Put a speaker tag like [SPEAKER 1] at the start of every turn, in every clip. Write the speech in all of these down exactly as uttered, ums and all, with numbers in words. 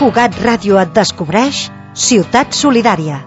[SPEAKER 1] Fugat Ràdio et descobreix Ciutat Solidària.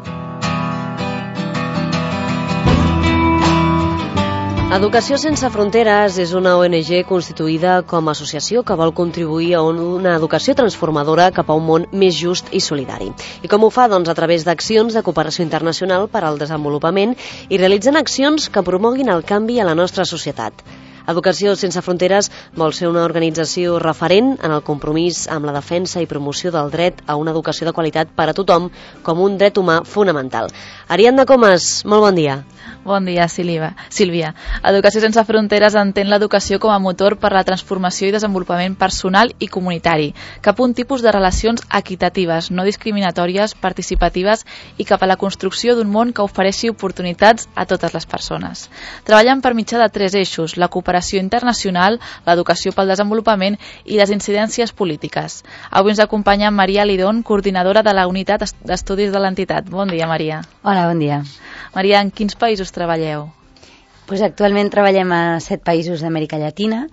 [SPEAKER 2] Educació Sense Fronteres és una O N G constituïda com a associació que vol contribuir a una educació transformadora cap a un món més just i solidari. I com ho fa? Doncs a través d'accions de cooperació internacional per al desenvolupament i realitzant accions que promoguin el canvi a la nostra societat. Educació Sense Fronteres vol ser una organització referent en el compromís amb la defensa i promoció del dret a una educació de qualitat per a tothom com un dret humà fonamental. Ariadna Comas, molt bon dia.
[SPEAKER 3] Bon dia, Sílvia. Educació Sense Fronteres entén l'educació com a motor per la transformació i desenvolupament personal i comunitari, cap a un tipus de relacions equitatives, no discriminatòries, participatives i cap a la construcció d'un món que ofereixi oportunitats a totes les persones. Treballen per mitjà de tres eixos: la cooperació internacional, l'educació pel desenvolupament i les incidències polítiques. Avui ens acompanya Maria Lidón, coordinadora de la unitat d'estudis de l'entitat. Bon dia, Maria.
[SPEAKER 4] Hola, bon dia.
[SPEAKER 3] Maria, en quins països treballeu?
[SPEAKER 4] Pues actualment treballem a set països d'Amèrica Llatina.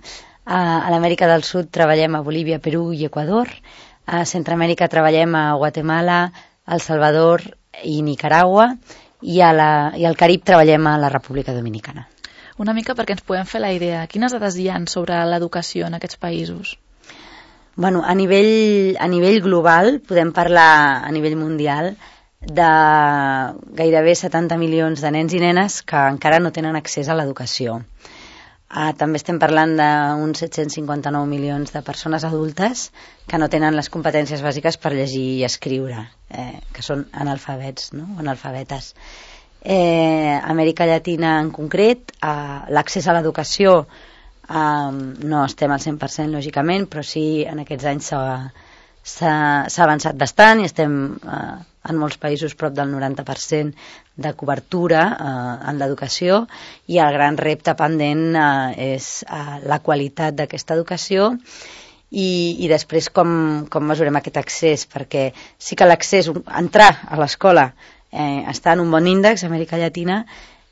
[SPEAKER 4] A l'Amèrica del Sud treballem a Bolívia, Perú i Equador. A Centroamèrica treballem a Guatemala, El Salvador i Nicaragua. I, a la, i al Carib treballem a la República Dominicana.
[SPEAKER 3] Una mica perquè ens podem fer la idea. Quines dades hi ha sobre l'educació en aquests països?
[SPEAKER 4] Bueno, a nivell, a nivell global, podem parlar a nivell mundial de gairebé setanta milions de nens i nenes que encara no tenen accés a l'educació. Uh, també estem parlant d'uns set-cents cinquanta-nou milions de persones adultes que no tenen les competències bàsiques per llegir i escriure, eh, que són analfabets, no? analfabetes. Eh, Amèrica Llatina en concret, uh, l'accés a l'educació uh, no estem al cent per cent lògicament, però sí en aquests anys s'ha avançat bastant i estem uh, en molts països prop del noranta per cent de cobertura eh, en l'educació, i el gran repte pendent eh, és eh, la qualitat d'aquesta educació i, i després com, com mesurem aquest accés, perquè sí que l'accés, entrar a l'escola eh, està en un bon índex a Amèrica Llatina,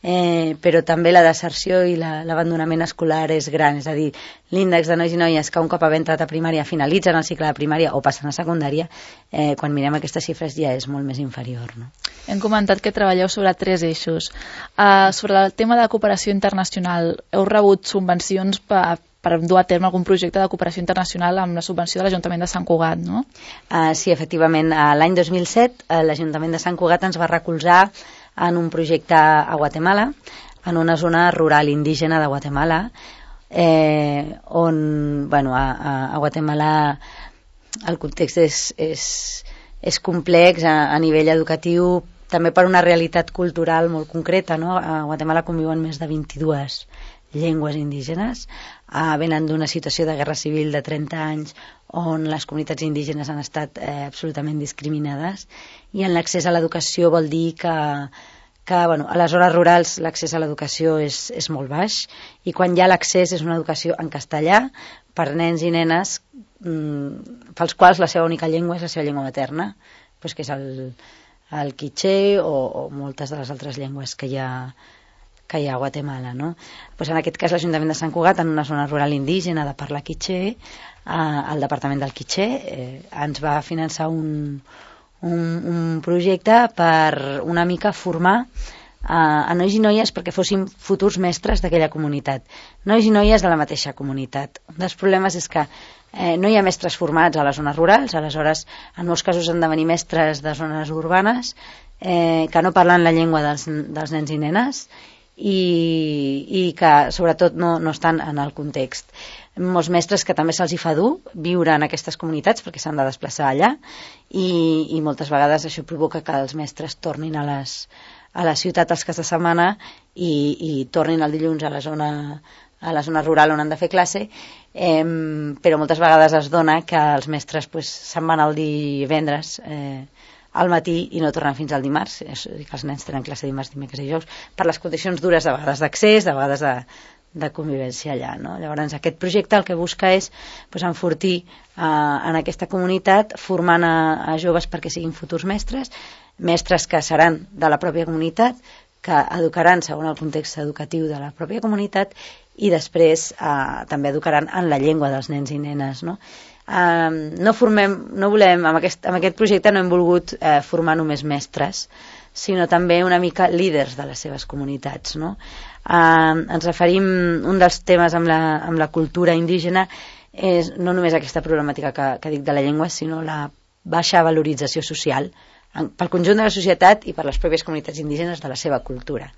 [SPEAKER 4] eh, però també la deserció i l'abandonament escolar és gran, és a dir, l'índex de nois i noies que un cop haver entrat a primària finalitzen el cicle de primària o passen a secundària, eh, quan mirem aquestes xifres ja és molt més inferior, no?
[SPEAKER 3] Hem comentat que treballeu sobre tres eixos. Uh, sobre el tema de cooperació internacional, heu rebut subvencions per, per dur a terme algun projecte de cooperació internacional amb la subvenció de l'Ajuntament de Sant Cugat, no?
[SPEAKER 4] Uh, sí, efectivament. Uh, L'any dos mil set uh, l'Ajuntament de Sant Cugat ens va recolzar en un projecte a Guatemala, en una zona rural indígena de Guatemala, eh, on, bueno, a, a Guatemala el context és, és, és complex a, a nivell educatiu, també per una realitat cultural molt concreta, no? A Guatemala conviuen més de vint-i-dues llengües indígenes, eh, venen d'una situació de guerra civil de trenta anys on les comunitats indígenes han estat eh, absolutament discriminades, i en l'accés a l'educació vol dir que, que bueno, a les zones rurals l'accés a l'educació és, és molt baix, i quan hi ha l'accés és una educació en castellà per nens i nenes mmm, pels quals la seva única llengua és la seva llengua materna, pues, que és el, el quiché o, o moltes de les altres llengües que hi ha que hi ha a Guatemala, no? Pues en aquest cas l'Ajuntament de Sant Cugat, en una zona rural indígena de parla quiché, eh, el Departament del Quiché eh, ens va finançar un, un, un projecte per una mica formar eh, a nois i noies perquè fossin futurs mestres d'aquella comunitat, nois i noies de la mateixa comunitat. Un dels problemes és que eh, no hi ha mestres formats a les zones rurals, aleshores en molts casos han de venir mestres de zones urbanes eh, que no parlen la llengua dels, dels nens i nenes, i, i que sobretot no, no estan en el context. Molts mestres que també se'ls hi fa dur viure en aquestes comunitats perquè s'han de desplaçar allà, i, i moltes vegades això provoca que els mestres tornin a, les, a la ciutat els caps de setmana i, i tornin el dilluns a la zona, a la zona rural on han de fer classe, eh, però moltes vegades es dona que els mestres pues, se'n van el divendres eh, al matí i no tornen fins al dimarts, és a dir, que els nens tenen classe dimarts, dimecres i dijous, per les condicions dures de vegades d'accés, de vegades de, de convivència allà, no? Llavors aquest projecte el que busca és pues, enfortir eh, en aquesta comunitat, formant a, a joves perquè siguin futurs mestres, mestres que seran de la pròpia comunitat, que educaran segons el context educatiu de la pròpia comunitat, i després eh, també educaran en la llengua dels nens i nenes, no? Um, no formem, no volem, amb aquest, amb aquest projecte no hem volgut eh, formar només mestres, sinó també una mica líders de les seves comunitats, no? Uh, ens referim, un dels temes amb la, amb la cultura indígena és no només aquesta problemàtica que, que dic de la llengua, sinó la baixa valorització social en, pel conjunt de la societat i per les pròpies comunitats indígenes de la seva cultura.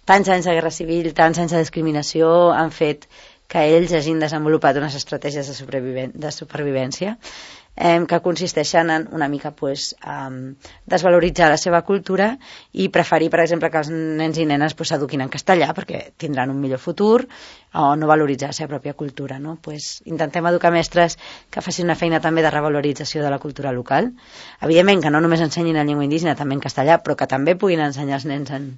[SPEAKER 4] Tants anys de guerra civil, tants anys de discriminació han fet que ells hagin desenvolupat unes estratègies de, superviven de supervivència eh, que consisteixen en una mica pues, um, desvaloritzar la seva cultura i preferir, per exemple, que els nens i nenes s'eduquin pues, en castellà perquè tindran un millor futur, o no valoritzar la seva pròpia cultura. No? Pues, intentem educar mestres que facin una feina també de revalorització de la cultura local. Evidentment que no només ensenyin en llengua indígena, també en castellà, però que també puguin ensenyar els nens en,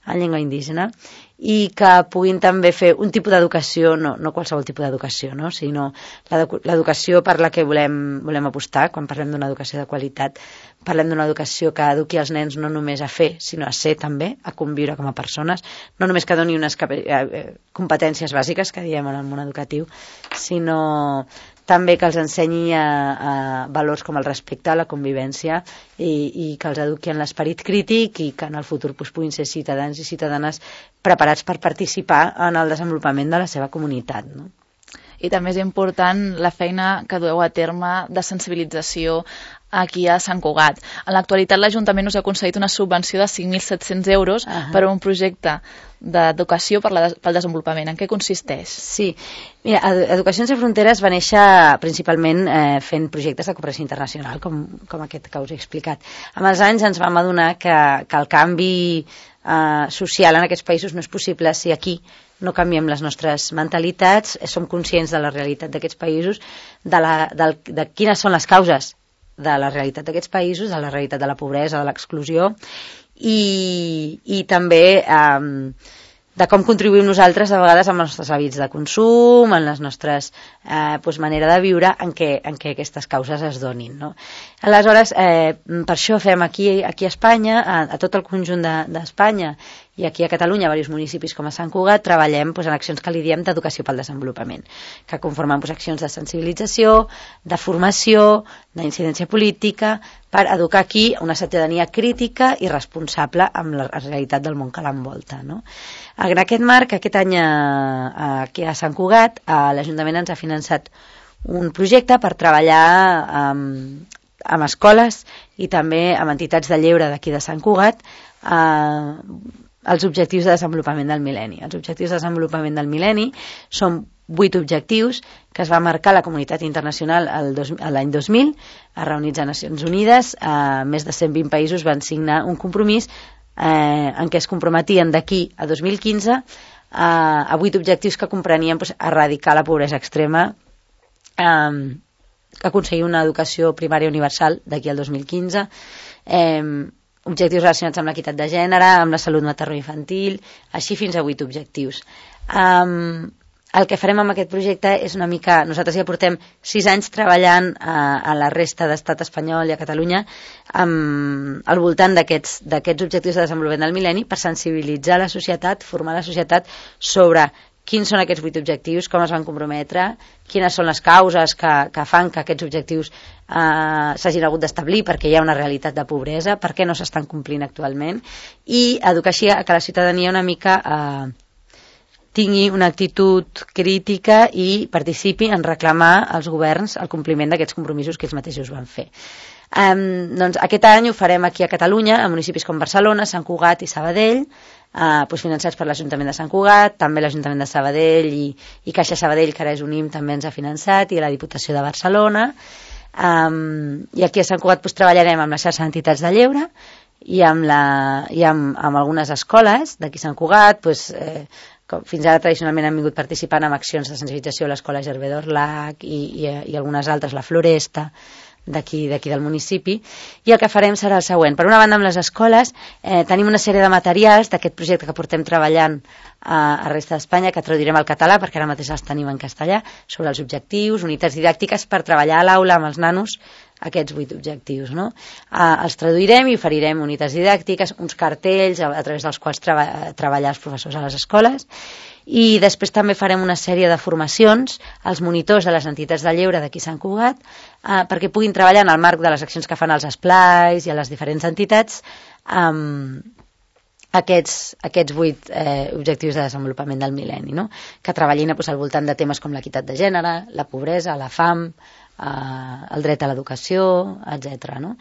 [SPEAKER 4] en llengua indígena i que puguin també fer un tipus d'educació, no, no qualsevol tipus d'educació, no? Sinó l'educació per la que volem, volem apostar. Quan parlem d'una educació de qualitat, parlem d'una educació que eduqui els nens no només a fer, sinó a ser també, a conviure com a persones, no només que doni unes competències bàsiques que diem en el món educatiu, sinó també que els ensenyi a, a valors com el respecte, la convivència i, i que els eduqui en l'esperit crític i que en el futur pues, puguin ser ciutadans i ciutadanes preparats per participar en el desenvolupament de la seva comunitat. No?
[SPEAKER 3] I també és important la feina que dueu a terme de sensibilització aquí a Sant Cugat. En l'actualitat l'Ajuntament us ha concedit una subvenció de cinc mil set-cents euros uh -huh. per a un projecte d'educació per la, pel desenvolupament. En què consisteix?
[SPEAKER 4] Sí, mira, Educació Sense Fronteres va néixer principalment eh, fent projectes de cooperació internacional, com, com aquest que us he explicat. Amb els anys ens vam adonar que, que el canvi eh, social en aquests països no és possible si aquí no canviem les nostres mentalitats, som conscients de la realitat d'aquests països, de, la, de, de quines són les causes de la realitat d'aquests països, de la realitat de la pobresa, de l'exclusió, i, i també eh, de com contribuïm nosaltres a vegades amb els nostres hàbits de consum, en les nostres eh, pues, manera de viure en què, en què aquestes causes es donin. No? Aleshores, eh, per això fem aquí, aquí a Espanya, a, a tot el conjunt d'Espanya, de, i aquí a Catalunya, a diversos municipis com a Sant Cugat, treballem pues, en accions que li diem d'educació pel desenvolupament, que conformen pues, accions de sensibilització, de formació, d'incidència política, per educar aquí una ciutadania crítica i responsable amb la realitat del món que l'envolta. No? En aquest marc, aquest any a, aquí a Sant Cugat, l'Ajuntament ens ha finançat un projecte per treballar amb, amb escoles i també amb entitats de lleure d'aquí de Sant Cugat eh, els objectius de desenvolupament del mil·lenni. Els objectius de desenvolupament del mil·lenni són vuit objectius que es va marcar la comunitat internacional l'any dos mil, reunits a Nacions Unides, eh, més de cent vint països van signar un compromís eh, en què es comprometien d'aquí a dos mil quinze eh, a vuit objectius que comprenien pues, erradicar la pobresa extrema, eh, aconseguir una educació primària universal d'aquí al dos mil quinze, eh, objectius relacionats amb l'equitat de gènere, amb la salut materno-infantil, així fins a vuit objectius. Um, el que farem amb aquest projecte és una mica... Nosaltres ja portem sis anys treballant a, a la resta d'estat espanyol i a Catalunya um, al voltant d'aquests objectius de desenvolupament del mil·lenni per sensibilitzar la societat, formar la societat sobre quins són aquests vuit objectius, com es van comprometre, quines són les causes que, que fan que aquests objectius eh, s'hagin hagut d'establir perquè hi ha una realitat de pobresa, per què no s'estan complint actualment, i educar així a que la ciutadania una mica eh, tingui una actitud crítica i participi en reclamar als governs el compliment d'aquests compromisos que ells mateixos van fer. Um, doncs aquest any ho farem aquí a Catalunya, a municipis com Barcelona, Sant Cugat i Sabadell, uh, doncs financats per l'Ajuntament de Sant Cugat, també l'Ajuntament de Sabadell i, i Caixa Sabadell, que ara és Unim, també ens ha finançat, i la Diputació de Barcelona. Um, I aquí a Sant Cugat doncs, treballarem amb la xarxa d'entitats de lleure i amb, la, i amb, amb algunes escoles d'aquí a Sant Cugat, doncs, eh, com fins ara tradicionalment han vingut participant en accions de sensibilització a l'Escola Gervé d'Orlac i, i, i algunes altres, la Floresta, d'aquí d'aquí del municipi, i el que farem serà el següent. Per una banda, amb les escoles eh, tenim una sèrie de materials d'aquest projecte que portem treballant a, a resta d'Espanya, que traduirem al català, perquè ara mateix els tenim en castellà, sobre els objectius, unitats didàctiques, per treballar a l'aula amb els nanos aquests vuit objectius. No? Eh, els traduirem i oferirem unitats didàctiques, uns cartells a, a través dels quals treba, treballar els professors a les escoles, I després també farem una sèrie de formacions als monitors de les entitats de lleure d'aquí Sant Cugat eh, perquè puguin treballar en el marc de les accions que fan als esplais i a les diferents entitats amb aquests, aquests vuit eh, objectius de desenvolupament del mil·lenni, no? Que treballin pues, al voltant de temes com l'equitat de gènere, la pobresa, la fam, eh, el dret a l'educació, etcètera. No?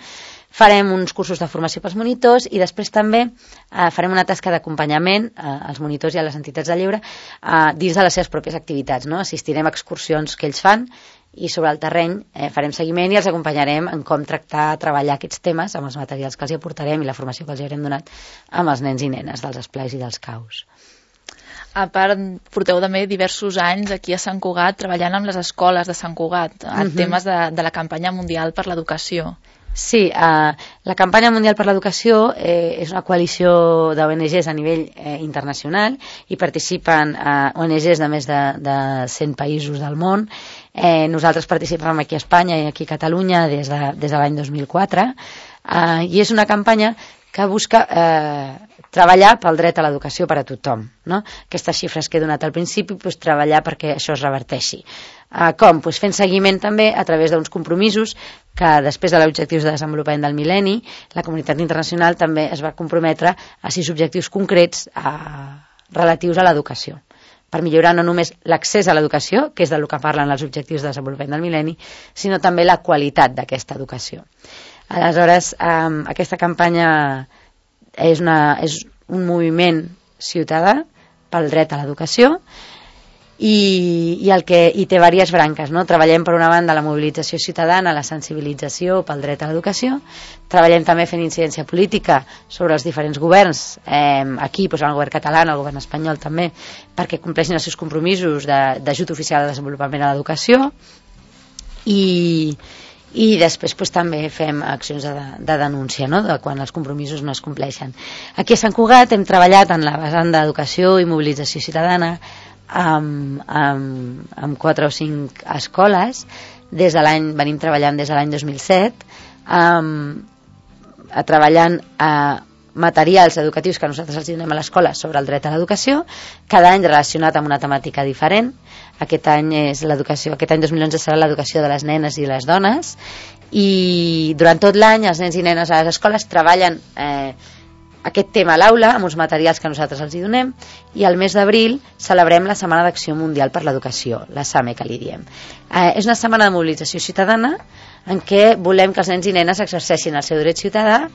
[SPEAKER 4] Farem uns cursos de formació pels monitors i després també eh, farem una tasca d'acompanyament eh, als monitors i a les entitats de lleure eh, dins de les seves pròpies activitats. No? Assistirem a excursions que ells fan i sobre el terreny eh, farem seguiment i els acompanyarem en com tractar, treballar aquests temes amb els materials que els hi aportarem i la formació que els hi haurem donat amb els nens i nenes dels esplais i dels caus.
[SPEAKER 3] A part, porteu també diversos anys aquí a Sant Cugat treballant amb les escoles de Sant Cugat en uh-huh. temes de, de la campanya mundial per l'educació.
[SPEAKER 4] Sí, eh, la campanya mundial per l'educació eh, és una coalició d'O N Ges a nivell eh, internacional i participen eh, O N Ges de més de, de cent països del món. Eh, nosaltres participem aquí a Espanya i aquí a Catalunya des de, des de l'any dos mil quatre eh, i és una campanya que busca eh, treballar pel dret a l'educació per a tothom. No? Aquestes xifres que he donat al principi, pues, treballar perquè això es reverteixi. Uh, com? Pues fent seguiment també a través d'uns compromisos que després de l'objectius de desenvolupament del mil·lenni la comunitat internacional també es va comprometre a sis objectius concrets uh, relatius a l'educació per millorar no només l'accés a l'educació, que és del que parlen els objectius de desenvolupament del mil·lenni, sinó també la qualitat d'aquesta educació. Aleshores, um, aquesta campanya és, una, és un moviment ciutadà pel dret a l'educació i, i, el que, i té diverses branques. No? Treballem per una banda la mobilització ciutadana, la sensibilització pel dret a l'educació, treballem també fent incidència política sobre els diferents governs, eh, aquí doncs, el govern català, el govern espanyol també, perquè compleixin els seus compromisos d'ajut oficial de desenvolupament a l'educació i i després pues, també fem accions de, de denúncia, no? De quan els compromisos no es compleixen. Aquí a Sant Cugat hem treballat en la vessant d'educació i mobilització ciutadana amb, amb, amb quatre o cinc escoles. Des de l'any, venim treballant des de l'any dos mil set, amb, a treballant a materials educatius que nosaltres els donem a l'escola sobre el dret a l'educació, cada any relacionat amb una temàtica diferent. Aquest any és l'educació, aquest any dos mil onze serà l'educació de les nenes i les dones i durant tot l'any els nens i nenes a les escoles treballen eh, aquest tema a l'aula amb uns materials que nosaltres els hi donem i al mes d'abril celebrem la Setmana d'Acció Mundial per l'Educació, la SAME que li diem. Eh, és una setmana de mobilització ciutadana en què volem que els nens i nenes exerceixin el seu dret ciutadà,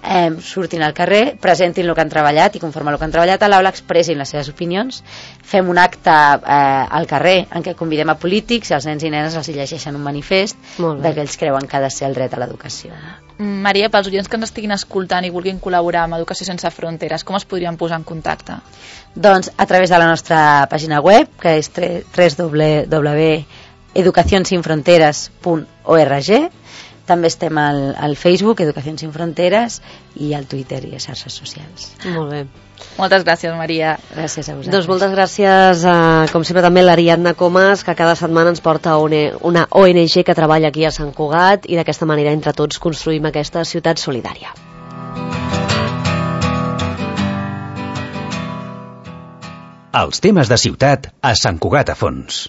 [SPEAKER 4] eh, surtin al carrer, presentin el que han treballat i conforme el que han treballat a l'aula expressin les seves opinions, fem un acte eh, al carrer en què convidem a polítics i els nens i nenes els llegeixen un manifest de que ells creuen que ha de ser el dret a l'educació.
[SPEAKER 3] Maria, pels oients que ens estiguin escoltant i vulguin col·laborar amb Educació Sense Fronteres, com es podrien posar en contacte?
[SPEAKER 4] Doncs a través de la nostra pàgina web, que és w w w punt educación sin fronteras punt org. També estem al, al Facebook, Educació Sin Fronteres, i al Twitter i a xarxes socials.
[SPEAKER 2] Molt bé.
[SPEAKER 3] Moltes gràcies, Maria.
[SPEAKER 4] Gràcies a vosaltres.
[SPEAKER 2] Doncs moltes gràcies, a, com sempre, també a l'Ariadna Comas, que cada setmana ens porta una O N G que treballa aquí a Sant Cugat i d'aquesta manera, entre tots, construïm aquesta ciutat solidària.
[SPEAKER 5] Els temes de ciutat a Sant Cugat a fons.